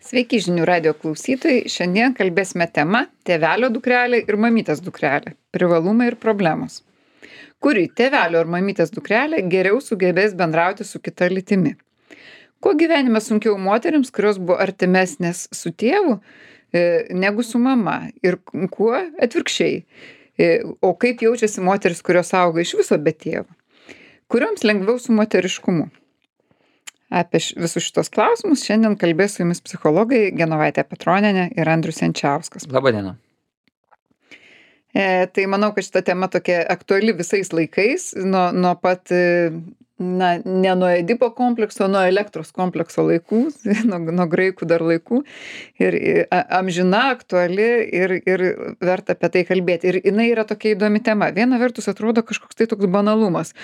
Sveiki žinių radio klausytojai. Šiandien kalbėsime tema tėvelio dukrelė ir mamytės dukrelė. Privalumai ir problemos. Kuri tėvelio ar mamytės dukrelė geriau sugebės bendrauti su kita lytimi? Kuo gyvenime sunkiau moterims, kurios buvo artimesnės su tėvu negu su mama? Ir kuo atvirkščiai? O kaip jaučiasi moteris, kurios auga iš viso be tėvo? Kurioms lengviau su moteriškumu? Apie visus šitos klausimus šiandien kalbės su jumis psichologai Genovaitė Petronienė ir Andrius Jančiauskas. Labadiena. Tai manau, kad šita tema tokia aktuali visais laikais, nuo pat, ne nuo Edipo komplekso, nuo elektros komplekso laikų, nuo graikų dar laikų. Ir amžina, aktuali ir verta apie tai kalbėti. Ir jinai yra tokia įdomi tema. Viena vertus atrodo kažkoks tai toks banalumas.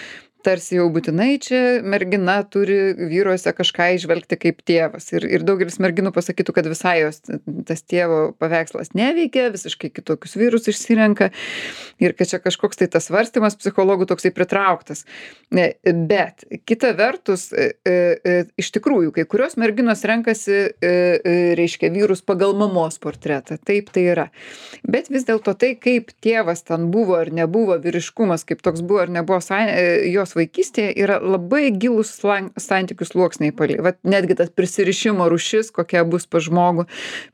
Tarsi jau būtinai čia mergina turi vyruose kažką įžvelgti kaip tėvas. Ir daugelis merginų pasakytų, kad visai jos tas tėvo paveikslas neveikia, visiškai kitokius vyrus išsirenka ir kad čia kažkoks tai tas svarstymas psichologų toksai pritrauktas. Bet kita vertus, iš tikrųjų, kai kurios merginos renkasi, reiškia, vyrus pagal mamos portretą. Taip tai yra. Bet vis dėlto tai, kaip tėvas ten buvo ar nebuvo, vyriškumas, kaip toks buvo ar nebuvo jos vaikystėje, yra labai gilūs santykių sluoksniai palei. Vat netgi tas prisirišimo rūšis, kokia bus pas žmogų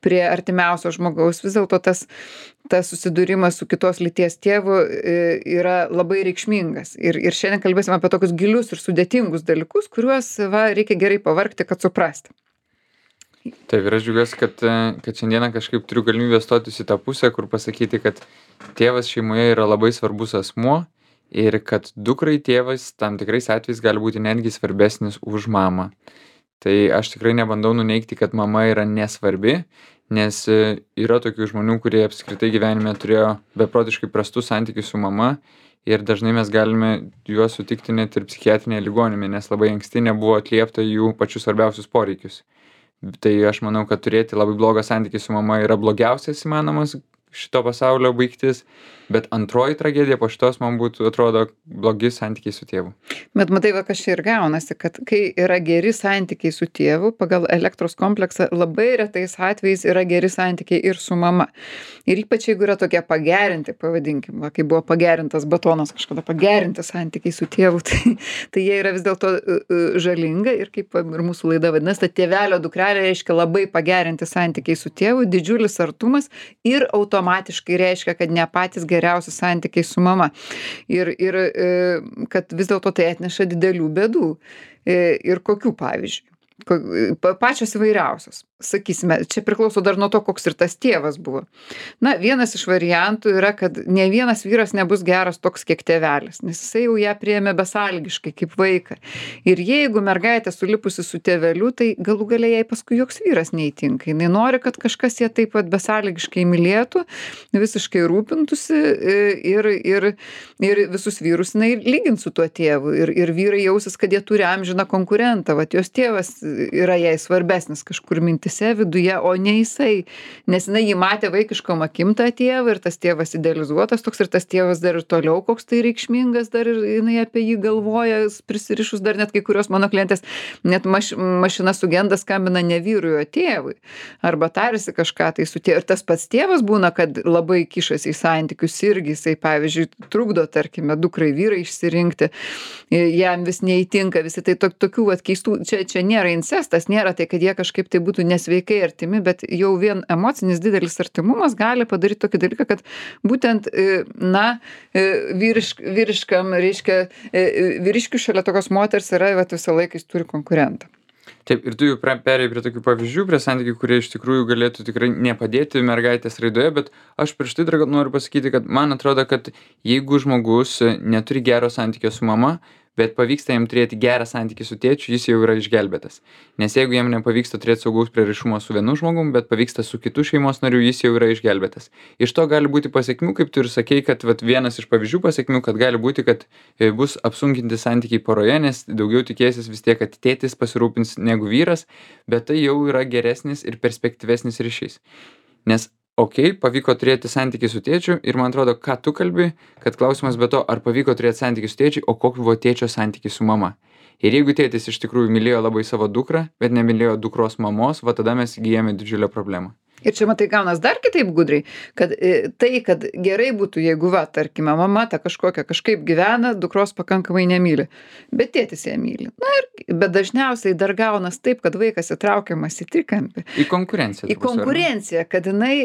prie artimiausio žmogaus, vis dėlto tas susidūrimas su kitos lyties tėvu yra labai reikšmingas. Ir šiandien kalbėsim apie tokius gilius ir sudėtingus dalykus, kuriuos reikia gerai pavargti, kad suprasti. Taip, ir aš džiaugiuosi, kad šiandieną kažkaip turiu galimybę stotis į tą pusę, kur pasakyti, kad tėvas šeimoje yra labai svarbus asmuo ir kad dukrai tėvas tam tikrais atvejais gali būti netgi svarbesnis už mamą. Tai aš tikrai nebandau nuneigti, kad mama yra nesvarbi, nes yra tokių žmonių, kurie apskritai gyvenime turėjo beprotiškai prastus santykius su mama ir dažnai mes galime juos sutikti net ir psichiatrinėje ligoninėje, nes labai anksti nebuvo atliepta jų pačius svarbiausius poreikius. Tai aš manau, kad turėti labai blogą santykį su mama yra blogiausias įmanomas šito pasaulio baigtis, bet antroji tragedija po šitos man būtų, atrodo, blogi santykiai su tėvu. Bet matai, kas čia ir gaunasi, kad kai yra geri santykiai su tėvu, pagal elektros kompleksą labai retais atvejais yra geri santykiai ir su mama. Ir ypač jeigu yra tokie pagerinti, pavadinkim, kai buvo pagerintas batonas kažkada, pagerinti santykiai su tėvu, tai jie yra vis dėlto žalinga ir kaip ir mūsų laida vadinasi, ta tėvelio dukrelė reiškia labai pagerinti santykiai su tėvu, didžiulis artumas ir automatiškai reiškia, kad ne patys geriausi santykiai su mama. Ir kad vis dėlto tai atneša didelių bėdų. Ir kokių pavyzdžių? Pačios įvairiausios. Sakysime, čia priklauso dar nuo to, koks ir tas tėvas buvo. Na, vienas iš variantų yra, kad ne vienas vyras nebus geras toks, kiek tėvelis, nes jisai jau ją priėmė besąlygiškai kaip vaiką. Ir jeigu mergaitė sulipusi su tėveliu, tai galų gale jai paskui joks vyras neįtinka. Jis nori, kad kažkas ją taip pat besąlygiškai mylėtų, visiškai rūpintųsi ir visus vyrus jinai lygint su tuo tėvu. Ir vyrai jausis, kad jie turi amžiną konkurentą. Vat jos tėvas yra jai svarbesnis kažkur mintis viduje, o ne jisai, nes jinai jį matė vaikiškom akim tą tėvą ir tas tėvas idealizuotas toks ir tas tėvas dar ir toliau koks tai reikšmingas, dar ir jinai apie jį galvoja, prisirišus dar net kai kurios mano klientės, net mašina sugenda skambina ne vyrui, o tėvui, arba tarėsi kažką tai su tėvu. Ir tas pats tėvas būna, kad labai kišasi į santykius irgi, jisai pavyzdžiui trukdo, tarkime, dukrai vyrai išsirinkti, jam vis neįtinka, visi tai tokių keistų, čia nėra incestas, nėra tai, kad jie kažkaip tai būtų nesveikai artimi, bet jau vien emocinis didelis artimumas gali padaryti tokį dalyką, kad būtent, vyriškam, reiškia, vyriškių šalia tokios moters yra, visą laiką jis turi konkurentą. Taip, ir tu jau perėjai prie tokių pavyzdžių, prie santykių, kurie iš tikrųjų galėtų tikrai nepadėti mergaitės raidoje, bet aš prieš tai dar noriu pasakyti, kad man atrodo, kad jeigu žmogus neturi gero santykio su mama, bet pavyksta jam turėti gerą santykį su tėčiu, jis jau yra išgelbėtas. Nes jeigu jam nepavyksta turėti saugaus prieraišumo su vienu žmogum, bet pavyksta su kitu šeimos nariu, jis jau yra išgelbėtas. Iš to gali būti pasekmių, kaip tu ir sakei, kad vienas iš pavyzdžių pasekmių, kad gali būti, kad bus apsunkinti santykiai poroje, nes daugiau tikėsis vis tiek, kad tėtis pasirūpins negu vyras, bet tai jau yra geresnis ir perspektyvesnis ryšys. Nes pavyko turėti santykį su tėčiu ir man atrodo, ką tu kalbi, kad klausimas be to, ar pavyko turėti santykį su tėčiu, o koks buvo tėčio santykis su mama. Ir jeigu tėtis iš tikrųjų mylėjo labai savo dukrą, bet nemylėjo dukros mamos, va tada mes įgyjame didžiulę problemą. Ir čia matai gaunas dar kitaip gudriai, kad tai, kad gerai būtų, jeigu va, tarkime, mama ta kažkokia kažkaip gyvena, dukros pakankamai nemyli, bet tėtis ją myli. Na ir, bet dažniausiai dar gaunas taip, kad vaikas įtraukiamas į trikampį. Į konkurenciją. Į konkurenciją, kad jinai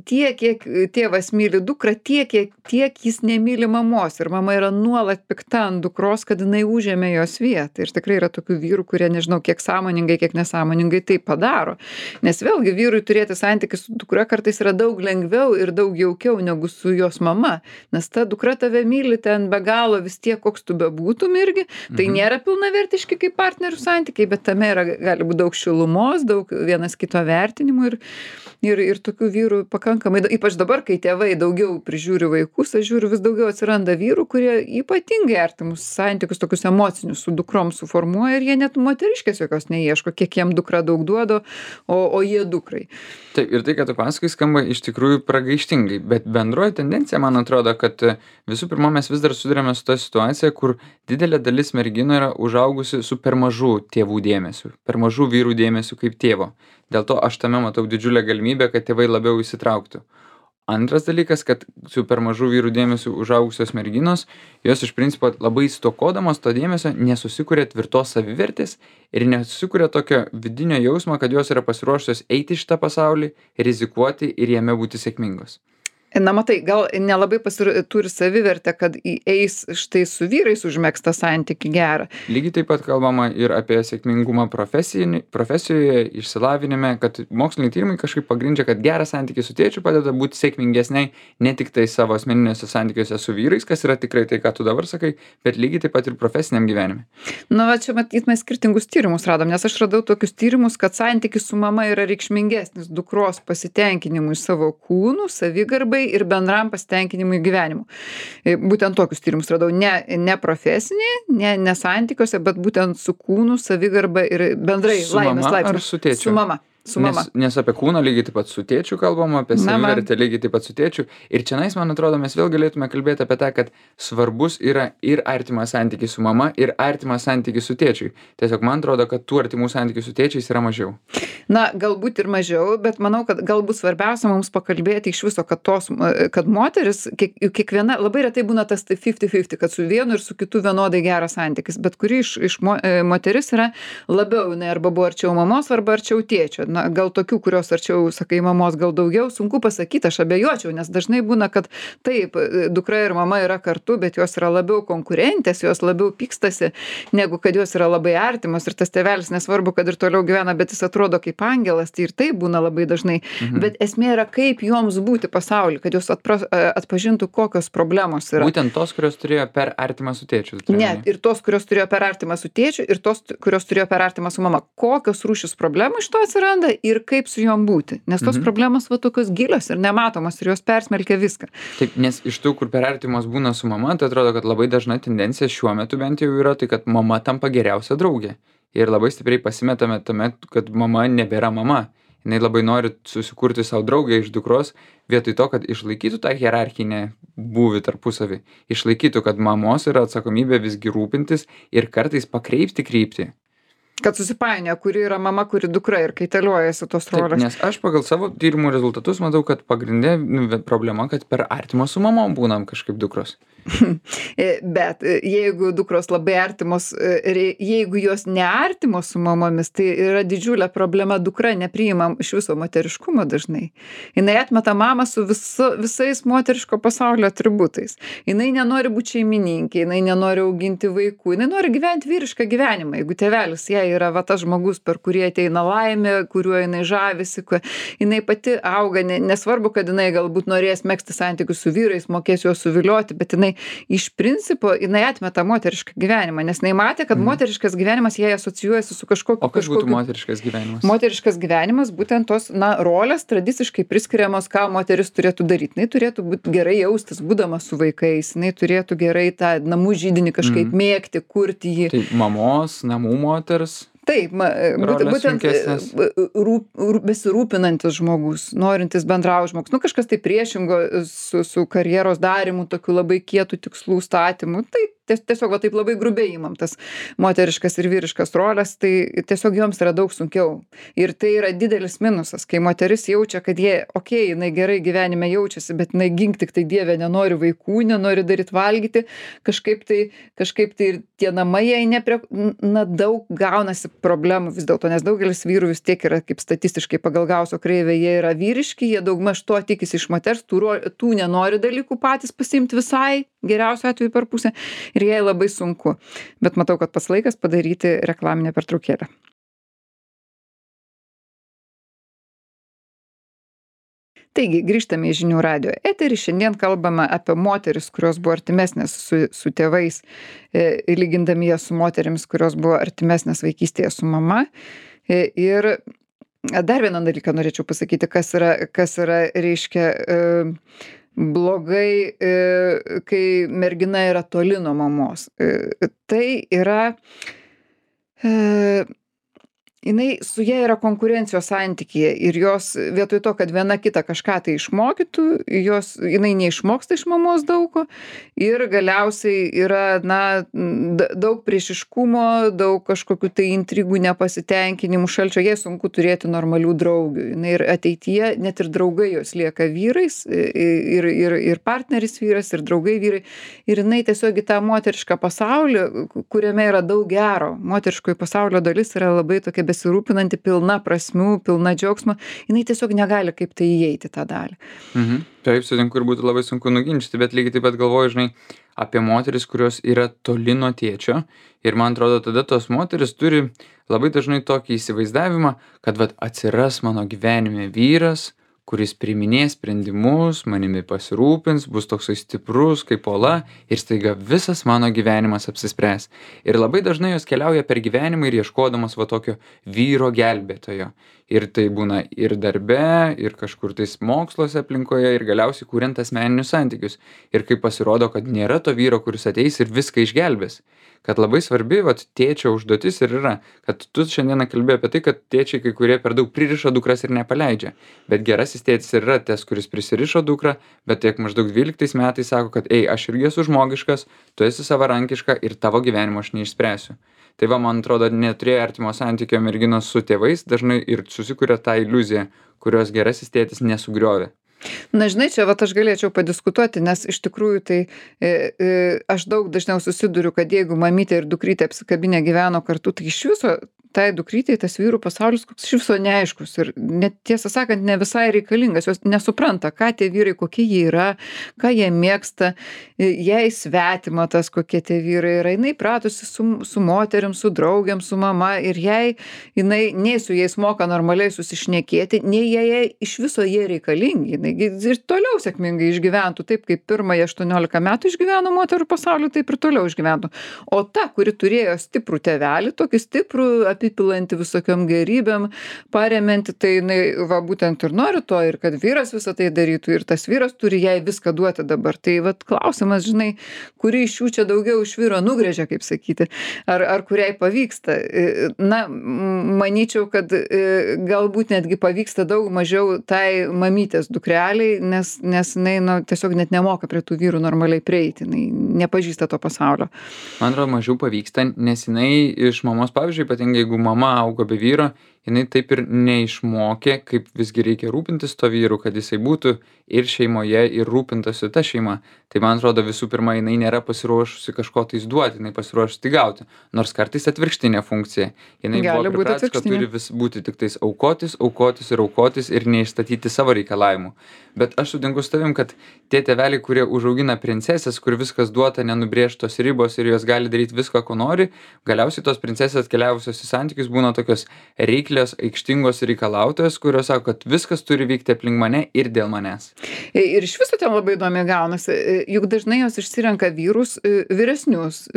tiek, kiek tėvas myli dukrą, tiek jis nemyli mamos. Ir mama yra nuolat pikta ant dukros, kad jinai užėmė jos vietą. Ir tikrai yra tokių vyrų, kurie nežinau, kiek sąmoningai, kiek nesąmoningai tai padaro. Nes vėlgi vyrui turėti santykį su dukra kartais yra daug lengviau ir daug jaukiau negu su jos mama. Nes ta dukra tave myli ten be galo vis tiek, koks tu bebūtum irgi. Tai nėra pilnavertiški kaip partnerių santykiai, bet tame yra, gali būti daug šilumos, daug vienas kito vertinimų ir tokių vyrų pakankamai. Ypač dabar, kai tėvai daugiau prižiūri vaikus, aš žiūriu, vis daugiau atsiranda vyrų, kurie ypatingai artimus santykius, tokius emocinius su dukrom suformuoja ir jie net moteriškės jokios neieško, kiek jiem dukra daug duoda, o jie dukrai. Taip, ir tai, kad tu pasakai, skamba iš tikrųjų pragaištingai, bet bendroji tendencija, man atrodo, kad visų pirma, mes vis dar sudarėme su tą situaciją, kur didelė dalis merginų yra užaugusi su per mažu tėvų dėmesiu, per mažu vyrų dėmesiu kaip tėvo. Dėl to aš tame matau didžiulę galimybę, kad tėvai labiau įsitrauktų. Antras dalykas, kad su per mažu vyrų dėmesiu užaugusios merginos, jos iš principo labai stokodamos to dėmesio nesusikuria tvirtos savivertės ir nesusikuria tokio vidinio jausmo, kad jos yra pasiruošusios eiti į šitą pasaulį, rizikuoti ir jame būti sėkmingos. Na matai, gal nelabai turi savivertę, kad eis štai su vyrais užmegztą santykį gerą. Lygiai taip pat kalbama ir apie sėkmingumą profesijoje, išsilavinime, kad moksliniai tyrimai kažkaip pagrindžia, kad geras santykis su tėčiu padeda būti sėkmingesniai ne tik tai savo asmeniniuose santykiuose su vyrais, kas yra tikrai tai, ką tu dabar sakai, bet lygiai taip pat ir profesiniam gyvenime. Na, va čia matyt, mes skirtingus tyrimus radom, nes aš radau tokius tyrimus, kad santykis su mama yra reikšmingesnis dukros pasitenkinimui savo kūnu, savigarbai ir bendram pasitenkinimui gyvenimu. Būtent tokius tyrimus radau, ne profesinį, ne santykiuose, bet būtent su kūnu, savigarba ir bendrai laimės laipsniu. Ar su tėčiu? Su mama. Su mama. Nes apie kūną lygiai taip pat su tėčiu kalbam, apie savivertę lygiai taip pat su tėčiu. Ir čianais, man atrodo, mes vėl galėtume kalbėti apie tą, kad svarbus yra ir artimas santykis su mama, ir artimas santykis su tėčiui. Tiesiog man atrodo, kad tų artimų santykių su tėčiais yra mažiau. Na, galbūt ir mažiau, bet manau, kad galbūt svarbiausia mums pakalbėti iš viso, kad moteris, kiekviena, labai retai būna tas 50-50, kad su vienu ir su kitu vienodai geras santykis, bet kuri iš moteris yra labiau, arba buvo arčiau mamos, arba arčiau tėčio. Na, gal tokių, kurios arčiau, sakai, mamos gal daugiau, sunku pasakyti, aš abejočiau, nes dažnai būna, kad taip, dukra ir mama yra kartu, bet jos yra labiau konkurentės, jos labiau pykstasi, negu kad jos yra labai artimos ir tas tėvelis nesvarbu, kad ir toliau gyvena, bet jis atrodo kaip angelas, tai ir tai būna labai dažnai. Bet esmė yra, kaip joms būti pasauly, kad jos atpažintų, kokios problemos yra. Būtent tos, kurios turėjo per artimą su tėčiu. Ne, ir tos, kurios turėjo per artimą su tėčiu, ir tos, kurios turėjo per artimą su mama. Kokios rūšis problemų iš to atsiranda ir kaip su jom būti. Nes tos problemos va tokios gilios ir nematomos ir jos persmelkia viską. Taip, nes iš tų, kur per artimos būna su mama, tai atrodo, kad labai dažna tendencija šiuo metu bent jau yra tai, kad mama tampa geriausia draugė. Ir labai stipriai pasimetame tame, kad mama nebėra mama. Jinai labai nori susikurti savo draugę iš dukros, vietoj to, kad išlaikytų tą hierarchinę būvį tarpusavį. Išlaikytų, kad mamos yra atsakomybė visgi rūpintis ir kartais pakreipti kryptį. Kad susipainioja, kuri yra mama, kuri dukra ir kaitaliojasi tos rolės. Taip, nes aš pagal savo tyrimų rezultatus matau, kad pagrindinė problema, kad per artimos su mamom būnam kažkaip dukros. Bet jeigu dukros labai artimos, jeigu jos neartimos su mamomis, tai yra didžiulė problema, dukra nepriima iš viso moteriškumo dažnai. Jinai atmeta mamą su visais moteriško pasaulio atributais. Jinai nenori būti šeimininkė, jinai nenori auginti vaikų, jinai nori gyventi vyrišką gyvenimą. Jeigu tėvelis jai yra va tas žmogus, per kurį ateina laimė, kuriuo jinai žavisi, jinai pati auga, nesvarbu, kad jinai galbūt norės megzti santykius su vyrais, mokės juos suvilioti, bet jinai iš principo jinai atmeta moterišką gyvenimą, nes jinai matė, kad moteriškas gyvenimas jai asocijuojasi su kažkokiu. O kas būtų moteriškas gyvenimas? Moteriškas gyvenimas, būtent tos, rolės tradiciškai priskiriamos, ką moteris turėtų daryti. Jinai turėtų būti gerai jaustis, būdama su vaikais, jinai turėtų gerai tą namų židinį kažkaip mėgti, kurti jį. Tai mamos, namų moters. Taip, būtent besirūpinantis žmogus, norintis bendrauti žmogus, kažkas tai priešingo su karjeros darymu, tokiu labai kietų tikslų statymu, tai tiesiog va taip labai grubiai imam tas moteriškas ir vyriškas roles, tai tiesiog joms yra daug sunkiau. Ir tai yra didelis minusas, kai moteris jaučia, kad jinai gerai gyvenime jaučiasi, bet jinai gink tik tai Dieve nenori vaikų, nenori daryti valgyti, kažkaip tai ir tie namai jai daug gaunasi problemų vis dėlto, nes daugelis vyrų vis tiek yra kaip statistiškai pagal Gauso kreivę, jie yra vyriški, jie daugmaž to tikisi iš moters, tų nenori dalykų patys pasiimti visai, geriausiu atveju per pusę, ir jai labai sunku. Bet matau, kad pats laikas padaryti reklaminę pertraukėlę. Taigi, grįžtame į Žinių radijo eterį. Šiandien kalbame apie moteris, kurios buvo artimesnės su tėvais, lygindami jas su moterimis, kurios buvo artimesnės vaikystėje su mama. Ir dar vieną dalyką norėčiau pasakyti, kas yra reiškia blogai, kai mergina yra toli nuo mamos. Tai yra jinai su ja yra konkurencijos santykyje ir jos vietoj to, kad viena kitą kažką tai išmokytų, jinai neišmoksta iš mamos daugo ir galiausiai yra, daug priešiškumo, daug kažkokių tai intrigų, nepasitenkinimų, šalčio, jai sunku turėti normalių draugių. Jinai ir ateityje, net ir draugai jos lieka vyrais, ir partneris vyras, ir draugai vyrai. Ir jinai tiesiog į tą moterišką pasaulį, kuriame yra daug gero, moteriškojo pasaulio dalis yra labai tokia besirūpinanti, pilna prasmių, pilna džiaugsmo, jinai tiesiog negali kaip tai įeiti tą dalį. Taip, sutinku, ir būtų labai sunku nuginčyti, bet lygiai taip pat galvoju, žinai, apie moteris, kurios yra toli nuo tėčio, ir man atrodo, tada tos moteris turi labai dažnai tokį įsivaizdavimą, kad atsiras mano gyvenime vyras, kuris priiminės sprendimus, manimi pasirūpins, bus toksai stiprus kaip uola ir staiga visas mano gyvenimas apsispręs. Ir labai dažnai jos keliauja per gyvenimą ir ieškodamos tokio vyro gelbėtojo. Ir tai būna ir darbe, ir kažkur tais moksluose aplinkoje, ir galiausiai kuriant asmeninius santykius. Ir kai pasirodo, kad nėra to vyro, kuris ateis ir viską išgelbės. Kad labai svarbi tėčio užduotis ir yra, kad tu šiandieną kalbėjai apie tai, kad tėčiai kai kurie per daug pririša dukras ir nepaleidžia. Bet gerasis tėtis yra tas, kuris prisirišo dukrą, bet tiek maždaug 12 metais sako, kad aš irgi esu žmogiškas, tu esi savarankiška ir tavo gyvenimo aš neišspręsiu. Tai man atrodo, neturėjo artimo santykio merginos su tėvais dažnai ir susikuria tą iliuziją, kurios gerasis tėtis nesugriovė. Na, žinai, čia aš galėčiau padiskutuoti, nes iš tikrųjų tai aš daug dažniau susiduriu, kad jeigu mamytė ir dukrytė apsikabinę gyveno kartu, tai iš viso tai dukrytei tas vyrų pasaulis koks iš viso neaiškus ir net tiesą sakant ne visai reikalingas, jos nesupranta, ką tie vyrai, kokie jie yra, ką jie mėgsta, jai svetima tas, kokie tie vyrai yra, jinai pratusi su moterim, su draugiam, su mama ir jinai nei su jais moka normaliai susišnekėti, nei jai iš viso jie reikalingi, jinai ir toliau sėkmingai išgyventų, taip kaip pirmąjį 18 metų išgyveno moterų pasaulį, taip ir toliau išgyventų. O ta, kuri turėjo stiprų tėvelį, tokį stiprų apipilantį visokiom gerybėm, paremianti, tai jinai būtent ir nori to, ir kad vyras visą tai darytų, ir tas vyras turi jai viską duoti dabar. Tai klausimas, žinai, kuri iš jų čia daugiau iš vyro nugrėžia, kaip sakyti, ar kuriai pavyksta. Na, manyčiau, kad galbūt netgi pavyksta daug mažiau tai mamytės dukreliai, nes jinai tiesiog net nemoka prie tų vyrų normaliai prieiti, jinai nepažįsta to pasaulio. Man atrodo, mažiau pavyksta, nes jinai iš mamos, pavyzdžiui, ypatingai jeigu mama augo be vyro, jinai taip ir neišmokė, kaip visgi reikia rūpintis to vyru, kad jisai būtų ir šeimoje, ir rūpintasi ta šeima. Tai man atrodo, visų pirma, jinai nėra pasiruošusi kažko tais duoti, jinai pasiruošusi gauti. Nors kartais atvirkštinė funkcija. Jinai buvo pripratus, kad turi vis būti tik tais aukotis ir neišstatyti savo reikalavimų. Bet aš sutinku su tavim, kad tie tėveliai, kurie užaugina princesės, kur viskas duota, nenubrėžtos ribos ir jos gali daryti viską, ko nori, galiausiai tos princesės atkeliavusios į santykius būna tokios reiklios, aikštingos reikalautojos, kurios sako, kad viskas turi vykti aplink mane ir dėl manęs. Ir iš viso ten labai įdomiai gaunasi, juk dažnai jos išsirenka vyrus vyresnius,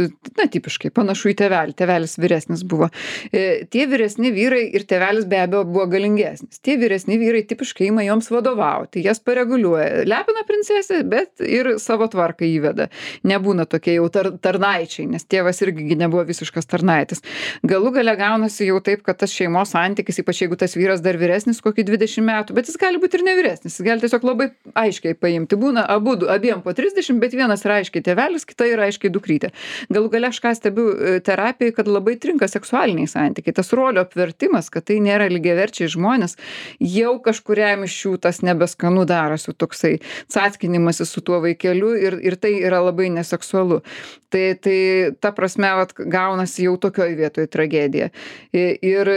na tipiškai, panašu į tėvelį, tėvelis vyresnis buvo. Tie vyresni vyrai ir tėvelis be abejo buvo galingesnis. Tie vyresni vyrai tipiškai ima joms vadovauti, jas pareguliuoja, lepina princesę, bet ir savo tvarką įveda. Nebūna tokie jau tarnaičiai, nes tėvas irgi nebuvo visiškas tarnaitis. Galų gale gaunasi jau taip, kad tas šeimos santykis, ypač jeigu tas vyras dar vyresnis kokį 20 metų, bet jis gali būti ir nevyresnis, jis gali tiesiog labai aiškiai paimti. Būna abiem po 30, bet vienas yra aiškiai tėvelis, kita yra aiškiai dukrytė. Galų gale aš ką stebiu terapijai, kad labai trinka seksualiniai santykiai. Tas rolio apvertimas, kad tai nėra lygiaverčiai žmonės, jau kažkuriam iš jų tas nebeskanu darosi toksai cackinimasis su tuo vaikeliu ir tai yra labai neseksualu. Tai ta prasme, vat, gaunasi jau tokioj vietoj tragedija. Ir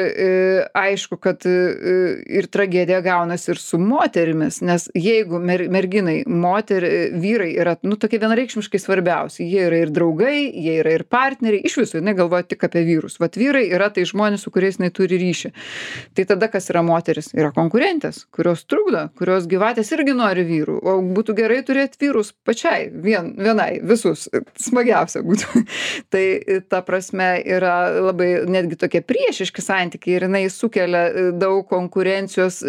aišku, kad ir tragedija gaunasi ir su moterimis, nes jeigu merginai, vyrai yra, tokie vienareikšmiškai svarbiausi, jie yra ir draugai, jie yra ir partneriai, iš viso jinai galvoja tik apie vyrus. Vat vyrai yra tai žmonės, su kuriais jinai turi ryšį. Tai tada kas yra moteris? Yra konkurentės, kurios trukdo, kurios gyvatės irgi nori vyrų, o būtų gerai turėti vyrus pačiai, vienai, visus, smagiausia būtų. Tai ta prasme yra labai netgi tokie priešiški santykiai ir jinai sukelia daug konkurencijos,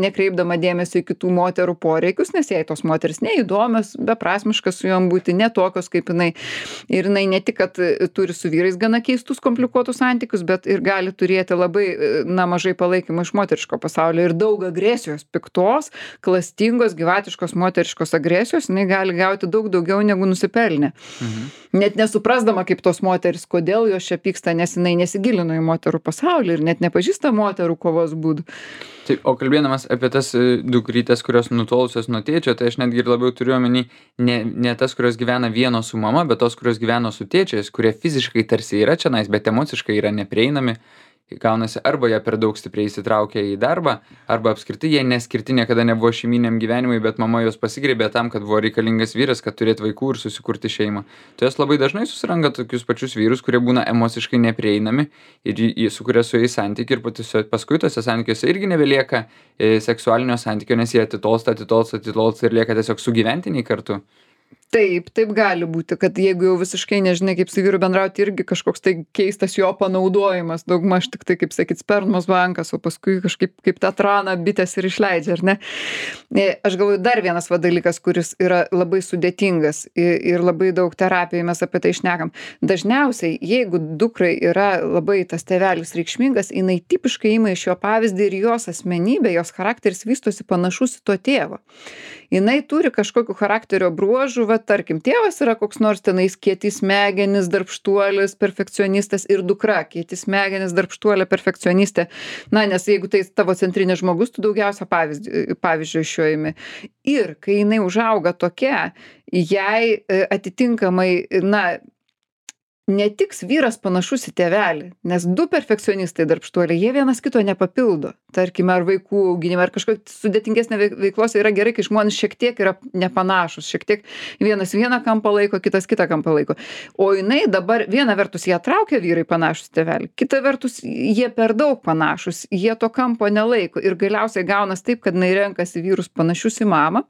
nekreipdama dėmesio į kitų moterų poreikius, nes jai tos moteris neįdomios, beprasmiškas su jom būti, netokios kaip jinai. Ir jinai ne tik, kad turi su vyrais gana keistus, komplikuotus santykius, bet ir gali turėti labai mažai palaikymo iš moteriško pasaulio ir daug agresijos, piktos, klastingos, gyvatiškos, moteriškos agresijos, jinai gali gauti daug daugiau negu nusipelnė. Net nesuprasdama kaip tos moteris, kodėl jos čia pyksta, nes jinai nesigilino į moterų pasaulį ir net nepažįsta moterų kovos būdų. Taip, o kalbėdamas apie tas dukrytes, kurios nutolusios nuo tėčio, tai aš netgi ir labiau turiu omeny ne tas, kurios gyvena vieno su mama, bet tos, kurios gyveno su tėčiais, kurie fiziškai tarsi yra čionais, bet emociškai yra neprieinami. Gaunasi arba jie per daug stipriai įsitraukia į darbą, arba apskritai jie neskirti niekada nebuvo šeiminiam gyvenimui, bet mama juos pasigrėbė tam, kad buvo reikalingas vyras, kad turėtų vaikų ir susikurti šeimą. Tai jos labai dažnai susiranda tokius pačius vyrus, kurie būna emociškai neprieinami ir jie sukuria su jais santykių ir paskui tose santykiuose irgi nebelieka seksualinio santykio, nes jie atitolsta ir lieka tiesiog sugyventiniai kartu. Taip gali būti, kad jeigu jau visiškai nežinai, kaip su vyru bendrauti, irgi kažkoks tai keistas jo panaudojimas, daugmaž tik tai, kaip sakyt, spermos bankas, o paskui kažkaip kaip tą traną bitės ir išleidžia, ar ne? Aš galvoju, dar vienas dalykas, kuris yra labai sudėtingas ir labai daug terapijai mes apie tai šnekam. Dažniausiai, jeigu dukrai yra labai tas tėvelis reikšmingas, jinai tipiškai ima iš jo pavyzdį ir jos asmenybė, jos charakteris vystosi panašus į to tėvo. Jinai turi kažkokių charakterio bruožų, tarkim, tėvas yra koks nors tenais kieti smegenis, darbštuolis, perfekcionistas ir dukra kieti smegenis, darbštuolė, perfekcionistė. Nes jeigu tai tavo centrinis žmogus, tu daugiausia pavyzdžio iš jo imi. Ir kai jinai užauga tokia, jai atitinkamai, netiks vyras panašus į tėvelį, nes du perfekcionistai darbštuoliai, jie vienas kito nepapildo. Tarkime, ar vaikų auginime, ar kažkokia sudėtingesnė veiklos yra gerai, kai žmonės šiek tiek yra nepanašus, šiek tiek vienas vieną kampą laiko, kitas kitą kampą laiko. O jinai dabar, viena vertus, ją traukia vyrai panašus tėvelį, kita vertus, jie per daug panašus, jie to kampo nelaiko ir galiausiai gaunas taip, kad jinai renkasi vyrus panašius į mamą.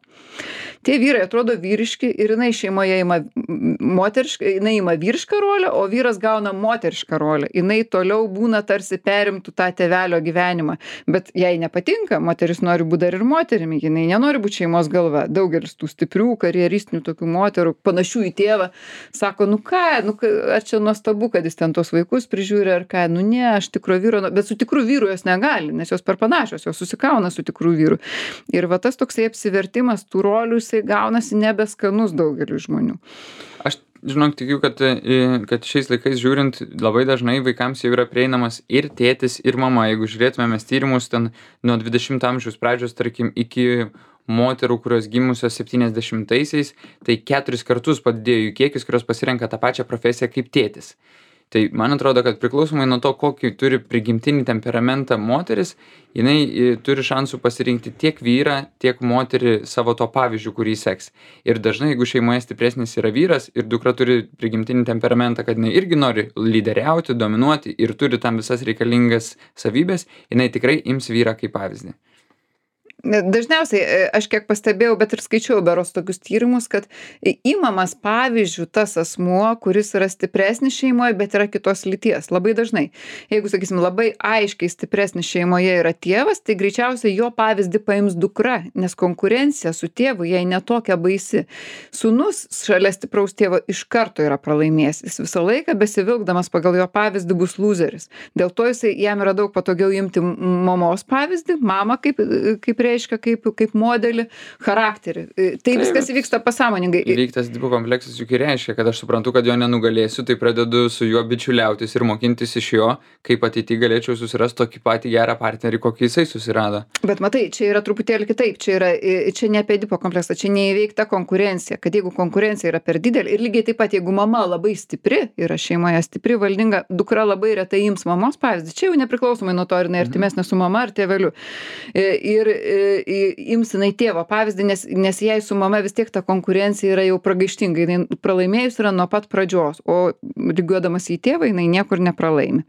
Tie vyrai atrodo vyriški ir jinai šeimoje ima moterišką, jinai ima vyrišką rolę, o vyras gauna moterišką rolę. Jinai toliau būna tarsi perimtų tą tėvelio gyvenimą. Bet jai nepatinka, moteris nori būti dar ir moterimi, jinai nenori būti šeimos galva. Daugelis tų stiprių, karjeristinių tokių moterų, panašių į tėvą, sako, ar čia nuostabu, kad jis ten tos vaikus prižiūri, ar ką, ne, aš tikro vyro, bet su tikru vyru jos negali, nes jos per panašios, jos susikauna su tikru vyru. Ir tas toksai apsivertimas tų rolių, jisai gaunasi nebeskanus daugeliu žmonių. Aš žinok, tikiu, kad šiais laikais žiūrint, labai dažnai vaikams jau yra prieinamas ir tėtis, ir mama. Jeigu žiūrėtume mes tyrimus ten nuo 20 amžiaus pradžios, tarkim, iki moterų, kurios gimusios 70-aisiais, tai 4 kartus padidėjo jų kiekis, kurios pasirenka tą pačią profesiją kaip tėtis. Tai man atrodo, kad priklausomai nuo to, kokį turi prigimtinį temperamentą moteris, jinai turi šansų pasirinkti tiek vyrą, tiek moterį savo to pavyzdžių, kurį seks. Ir dažnai, jeigu šeimoje stipresnis yra vyras ir dukra turi prigimtinį temperamentą, kad jinai irgi nori lyderiauti, dominuoti ir turi tam visas reikalingas savybės, jinai tikrai ims vyrą kaip pavyzdį. Dažniausiai, aš kiek pastebėjau, bet ir skaičiau berods tokius tyrimus, kad imamas pavyzdžių tas asmuo, kuris yra stipresnis šeimoje, bet yra kitos lyties. Labai dažnai. Jeigu, sakysim, labai aiškiai stipresnis šeimoje yra tėvas, tai greičiausiai jo pavyzdį paims dukra, nes konkurencija su tėvu jai netokia baisi. Sūnus šalia stipraus tėvo iš karto yra pralaimėjęs. Jis visą laiką besivilkdamas pagal jo pavyzdį bus loseris. Dėl to jam yra daug patogiau imti mamos pavyzdį, mamą kaip reiškia, kaip modelį, charakterį. Tai viskas įvyksta pasąmoningai. Įveiktas Edipo kompleksas juk ir reiškia, kad aš suprantu, kad jo nenugalėsiu, tai pradedu su juo bičiuliautis ir mokintis iš jo, kaip ateityje galėčiau susirasti tokį patį gerą partnerį, kokį jisai susirado. Bet matai, čia yra truputėlį kitaip, čia ne apie Edipo kompleksą, čia neįveikta konkurencija, kad jeigu konkurencija yra per didelė ir lygiai taip pat, jeigu mama labai stipri, yra šeimoje stipri, valdinga, dukra labai retai ims mamos pavyzdį, čia jau nepriklausomai nuo to, ar jinai artimesnė su mama ar tėveliu. Ir ims jinai tėvo pavyzdį, nes jai su mama vis tiek ta konkurencija yra jau pragaištinga, jinai pralaimėjus yra nuo pat pradžios, o lygiuodamas į tėvą jinai niekur nepralaimi.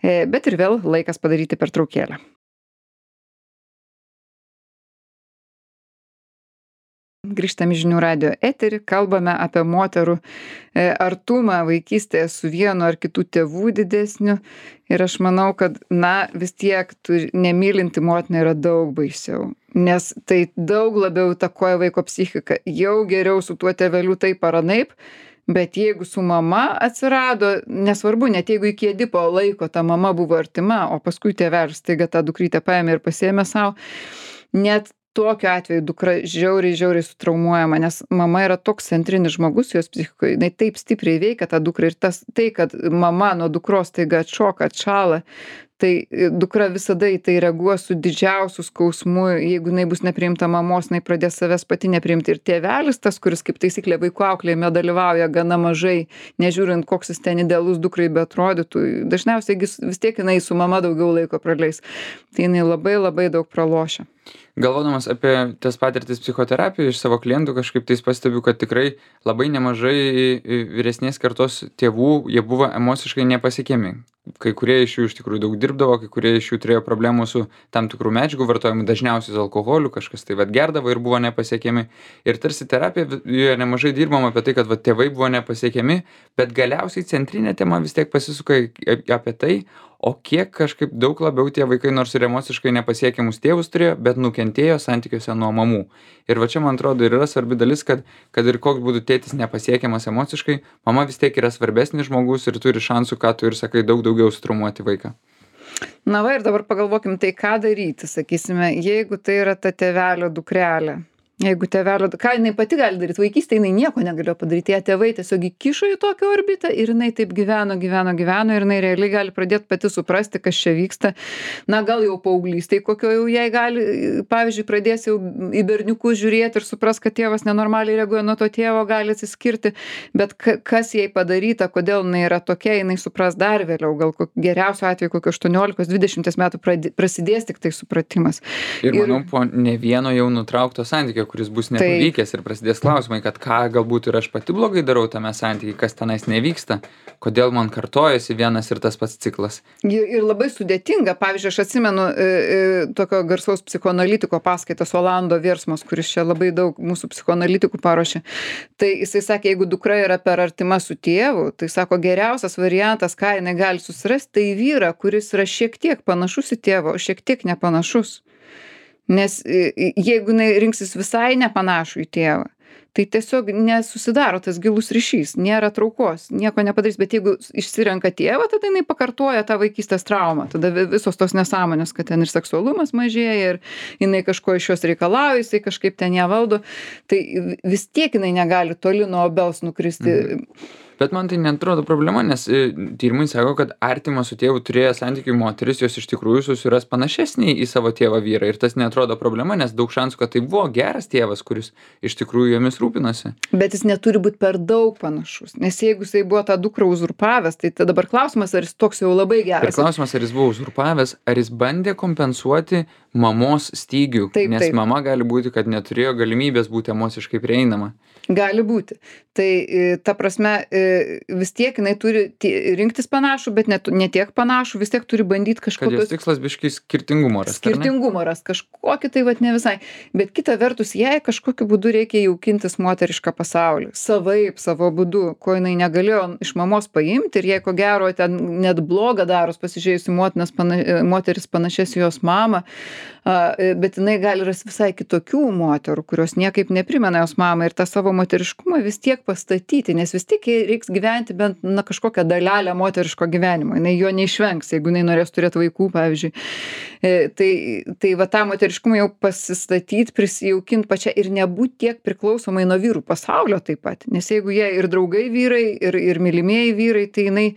Bet ir vėl laikas padaryti pertraukėlę. Grįžtame į Žinių radijo eterį, kalbame apie moterų artumą vaikystėje su vienu ar kitų tėvų didesniu. Ir aš manau, kad, vis tiek nemylinti motina yra daug baisiau. Nes tai daug labiau įtakoja vaiko psichiką. Jau geriau su tuo tėveliu taip ar anaip, bet jeigu su mama atsirado, nesvarbu, net jeigu iki Edipo laiko ta mama buvo artima, o paskui tėvelis staiga tą dukrytę paėmė ir pasiėmė savo, net tokiu atveju dukra žiauriai sutraumuojama, nes mama yra toks centrinis žmogus jos psichikoje, jinai taip stipriai veikia tą dukrą ir tai, kad mama nuo dukros staiga atšoka, atšąla, tai dukra visada į tai reaguos su didžiausiu skausmu, jeigu jinai bus nepriimta mamos, jinai pradės savęs pati nepriimti. Ir tėvelis, tas, kuris kaip taisyklė vaikų auklėjime dalyvauja gana mažai, nežiūrint, koks jis ten idealus dukrai beatrodytų, dažniausiai vis tiek jinai su mama daugiau laiko praleis. Tai jinai labai daug pralošia. Galvodamas apie tas patirtis psichoterapijoje iš savo klientų, kažkaip tais pastebiu, kad tikrai labai nemažai vyresnės kartos tėvų, jie buvo emociškai nepasiekiami. Kai kurie iš jų iš tikrųjų daug dirbdavo, kai kurie iš jų turėjo problemų su tam tikrų medžiagų vartojimu, dažniausiai su alkoholiu, kažkas tai gerdavo ir buvo nepasiekiami. Ir tarsi terapijoje nemažai dirbama apie tai, kad tėvai buvo nepasiekiami, bet galiausiai centrinė tema vis tiek pasisuka apie tai, o kiek kažkaip daug labiau tie vaikai, nors ir emociškai nepasiekiamus tėvus turėjo, bet nukentėjo santykiuose nuo mamų. Ir čia, man atrodo, ir yra svarbi dalis, kad ir koks būtų tėtis nepasiekiamas emociškai, mama vis tiek yra svarbesnis žmogus ir turi šansų, ką tu ir sakai, daug daugiau sutraumuoti vaiką. Ir dabar pagalvokim, tai ką daryti, sakysime, jeigu tai yra ta tėvelio dukrelė. Jeigu tėvelio, ką jinai pati gali daryti, vaikystėje jinai nieko negalėjo padaryti, ją tėvai tiesiog įkišo į tokią orbitą ir jinai taip gyveno ir jinai realiai gali pradėti pati suprasti, kas čia vyksta. Gal jau paauglystėje kokio jau jai gali, pavyzdžiui, pradės jau į berniukus žiūrėti ir supras, kad tėvas nenormaliai reaguoja nuo to tėvo, gali atsiskirti, bet kas jai padaryta, kodėl jinai yra tokia, jinai supras dar vėliau, gal geriausiu atveju kokio 18-20 metų prasidės tik tai supratimas. Ir manau, po ne vieno jau nutraukto santykio, kuris bus nepavykęs ir prasidės klausimai, kad ką galbūt ir aš pati blogai darau tame santykiai, kas tenais nevyksta, kodėl man kartojasi vienas ir tas pats ciklas. Ir labai sudėtinga, pavyzdžiui, aš atsimenu tokio garsaus psichoanalitiko paskaitas Olando Virsmos, kuris čia labai daug mūsų psichoanalitikų paruošė. Tai jisai sakė, jeigu dukra yra per artima su tėvu, tai sako, geriausias variantas, ką jinai gali susirasti, tai vyrą, kuris yra šiek tiek panašus į tėvą, o šiek tiek nepanašus. Nes jeigu jinai rinksis visai nepanašų į tėvą, tai tiesiog nesusidaro tas gilus ryšys, nėra traukos, nieko nepadarys, bet jeigu išsirenka tėvą, tada jinai pakartoja tą vaikystės traumą, tada visos tos nesąmonės, kad ten ir seksualumas mažėja, ir jinai kažko iš jos reikalauja, jisai kažkaip ten ją valdo, tai vis tiek jinai negali toli nuo obels nukristi. Bet man tai neatrodo problema, nes tyrimai sako, kad artimą su tėvu turėję santykių moteris, jos iš tikrųjų susiras panašesnį į savo tėvą vyrą. Ir tas neatrodo problema, nes daug šansų, kad tai buvo geras tėvas, kuris iš tikrųjų jomis rūpinosi. Bet jis neturi būt per daug panašus, nes jeigu jisai buvo tą dukrą uzurpavęs, tai tada dabar klausimas, ar jis toks jau labai Ir geras. klausimas, ar jis buvo uzurpavęs, ar jis bandė kompensuoti mamos stygių, Taip, nes taip. mama gali būti, kad neturėjo galimybės būti emociškai prieinama. Gali būti. Tai ta prasme, vis tiek jinai turi rinktis panašų, bet ne tiek panašų, vis tiek turi bandyti Kad jos kažkokius tikslas biškai skirtingumo rasti. ar ne? skirtingumą rast, kažkokį tai vat ne visai. Bet kita vertus, jai kažkokiu būdu reikia jaukintis moterišką pasaulį. Savaip, savo būdu, ko jinai negalėjo iš mamos paimti ir jai ko gero ten net blogą daros pasižiūrėjus į moteris panašias į jos mamą, bet jinai gali rasti visai kitokių moterų, kurios niekaip neprimena jos mamą ir tą savo moteriškumą vis tiek pastatyti, nes vis tiek jai reiks gyventi bent kažkokią dalelę moteriško gyvenimo. Jinai jo neišvengs, jeigu jinai norės turėti vaikų, pavyzdžiui. Tai va tą moteriškumą jau pasistatyti, prisijaukinti pačią ir nebūti tiek priklausomai nuo vyrų pasaulio taip pat. Nes jeigu jie ir draugai vyrai, ir mylimieji vyrai, tai jinai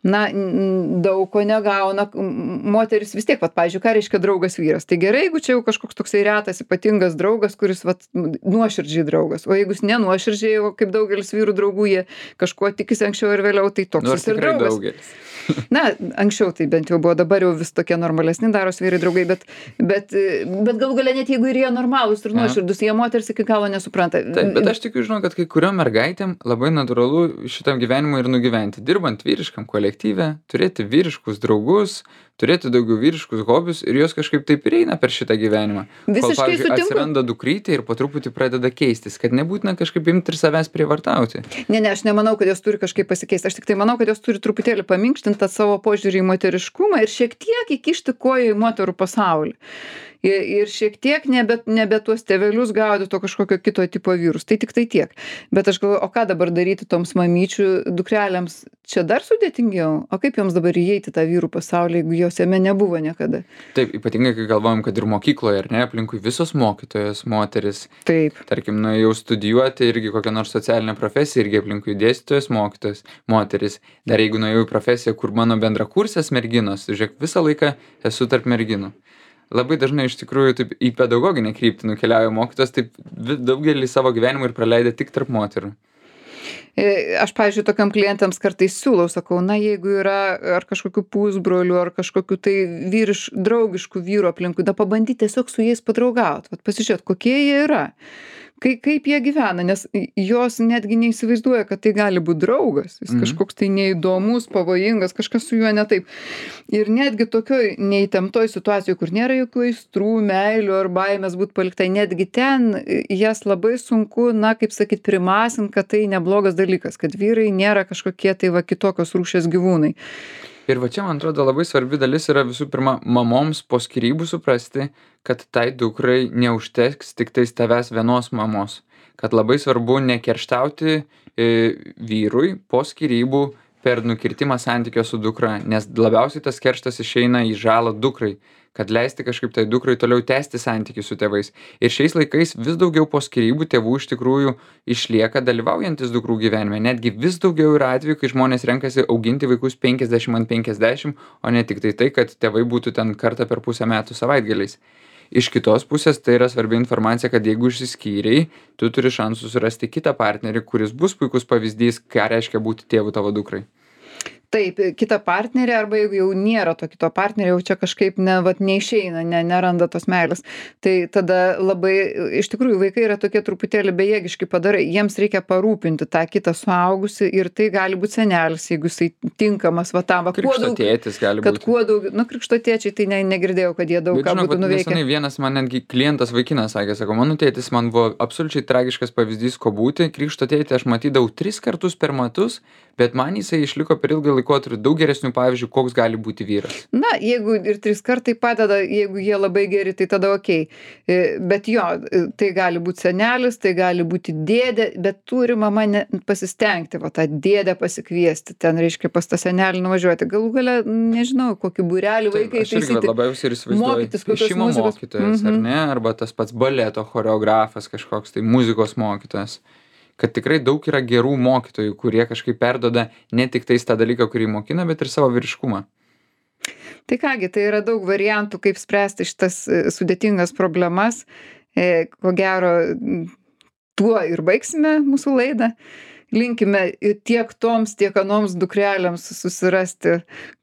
daug ko negauna. Moteris vis tiek, vat, pavyzdžiui, ką reiškia draugas vyras. Tai gerai, jeigu čia jau kažkoks toksai retas, ypatingas draugas, kuris vat, nuoširdžiai draugas. O jeigu jis nenuoširdžiai, kaip daugelis vyrų draugų, jie kažkuo tikisi anksčiau ir vėliau, tai toks Nors jis ir tikrai draugas. daugelis. Na, anksčiau tai bent jau buvo, dabar jau vis tokie normalesni daros vyrai draugai, bet galų galia net jeigu ir jie normalūs ir nuoširdus, jie moters iki galo nesupranta. Taip, bet aš tikiu, žinau, kad kai kuriuom mergaitėm labai natūralu šitam gyvenimui ir nugyventi. Dirbant vyriškam kolektyve, turėti vyriškus draugus, turėti daugiau vyriškus hobius ir jos kažkaip taip ir eina per šitą gyvenimą. Visiškai Kol, pavyzdžiui, sutinku. atsiranda dukrytė ir po truputį pradeda keistis, kad nebūtina kažkaip imti ir savęs prievartauti. Ne, aš nemanau, kad jos turi kažkaip pasikeisti. Aš tik tai manau, kad jos turi truputėlį paminkštinti tą savo požiūrį į moteriškumą ir šiek tiek įkišti koją į moterų pasaulį. Ir šiek tiek nebe tuos tėvelius gaudyti to kažkokio kito tipo vyrus. Tai tik tai tiek. Bet aš galvoju, o ką dabar daryti toms mamyčių dukrelėms? Čia dar sudėtingiau. O kaip joms dabar įeiti tą vyrų pasaulį, jeigu jos jame nebuvo niekada? Taip, ypatingai, kai galvojam, kad ir mokykloje, ar ne, aplinkui visos mokytojos, moteris. Taip. Tarkim, nuėjau studijuoti irgi kokią nors socialinę profesiją, irgi aplinkui dėstytojas, mokytojas, moteris. Dar jeigu nuėjau į profesiją, kur mano bendrakursės merginos, žiūrėk, visą laiką esu tarp merginų. Labai dažnai iš tikrųjų taip į pedagoginę kryptį nukeliauja mokytojas, taip daugelį savo gyvenimų ir praleidė tik tarp moterų. Aš, pavyzdžiui, tokiam klientams kartais siūlau, sakau, na, jeigu yra ar kažkokių pusbrolių, ar kažkokių tai draugiškų vyrų aplinkui, da pabandyti tiesiog su jais padraugauti, pasižiūrėti, kokie jie yra. Kaip jie gyvena, nes jos netgi neįsivaizduoja, kad tai gali būti draugas, jis kažkoks tai neįdomus, pavojingas, kažkas su juo ne taip. Ir netgi tokioj neįtemptoj situacijoje, kur nėra jokių aistrų, meilių ar baimės būti paliktai, netgi ten jas labai sunku, na, kaip sakyt, primasint, kad tai neblogas dalykas, kad vyrai nėra kažkokie tai va kitokios rūšies gyvūnai. Ir va čia, man atrodo, labai svarbi dalis yra visų pirma mamoms po skyrybų suprasti, kad tai dukrai neužteks tik tais tavęs vienos mamos. Kad labai svarbu nekerštauti vyrui po skyrybų per nukirtimą santykio su dukra, nes labiausiai tas kerštas išeina į žalą dukrai, kad leisti kažkaip tai dukrai toliau tęsti santykių su tėvais. Ir šiais laikais vis daugiau po skyrybų tėvų iš tikrųjų išlieka dalyvaujantis dukrų gyvenime. Netgi vis daugiau yra atvejų, kai žmonės renkasi auginti vaikus 50/50, o ne tik tai, kad tėvai būtų ten kartą per pusę metų savaitgaliais. Iš kitos pusės tai yra svarbi informacija, kad jeigu išsiskyrei, tu turi šansų surasti kitą partnerį, kuris bus puikus pavyzdys, ką reiškia būti tėvu tavo dukrai. Taip, kitą partnerį, arba jeigu jau nėra to kito partnerio, jau čia kažkaip neišeina, neranda tos meilės. Tai tada labai, iš tikrųjų, vaikai yra tokie truputėlį bejėgiški padarai. Jiems reikia parūpinti tą kitą suaugusį ir tai gali būti senelis, jeigu jisai tinkamas va tam. Krikštotėtis gali būti. Kad kuo daugiau, krikštotėčiai, tai negirdėjau, kad jie daug ką būtų nuveikę. Nesenai vienas man netgi klientas vaikinas sakė, sako, mano tėtis man buvo absoliučiai tragiškas pavyzdys, ko būti. Krikštotėtį aš matydavau 3 kartus per metus, bet man jisai išliko per ilgą laikotarpį daug geresnių pavyzdžių, koks gali būti vyras. Na, jeigu ir 3 kartai padeda, jeigu jie labai geri, tai tada okei. Bet jo, tai gali būti senelis, tai gali būti dėdė, bet turi mama pasistengti, va tą dėdę pasikviesti, ten reiškia pas tą senelį nuvažiuoti. Galų gale, nežinau, kokį būrelį vaikai Aš irgi labiausiai ir įsivaizduoju, piešimo mokytojas, ar ne, arba tas pats baleto choreografas kažkoks, tai muzikos mokytojas. Kad tikrai daug yra gerų mokytojų, kurie kažkaip perduoda ne tik tais tą dalyką, kurį mokina, bet ir savo vyriškumą. Tai kągi, tai yra daug variantų, kaip spręsti šitas sudėtingas problemas. Ko gero, tuo ir baigsime mūsų laidą. Linkime tiek toms, tiek anoms dukrelėms susirasti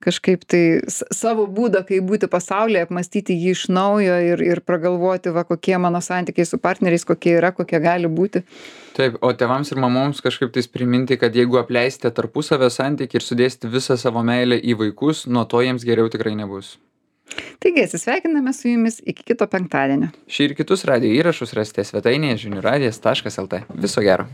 kažkaip tai savo būdą, kaip būti pasaulyje, apmąstyti jį iš naujo ir pragalvoti, va, kokie mano santykiai su partneriais, kokie yra, kokie gali būti. Taip, o tėvams ir mamoms kažkaip tais priminti, kad jeigu apleisite tarpusavio santykį ir sudėsite visą savo meilę į vaikus, nuo to jiems geriau tikrai nebus. Taigi, atsisveikiname su jumis iki kito penktadienio. Šį ir kitus radijo įrašus rasite svetainėje žinių radijas.lt. Viso gero.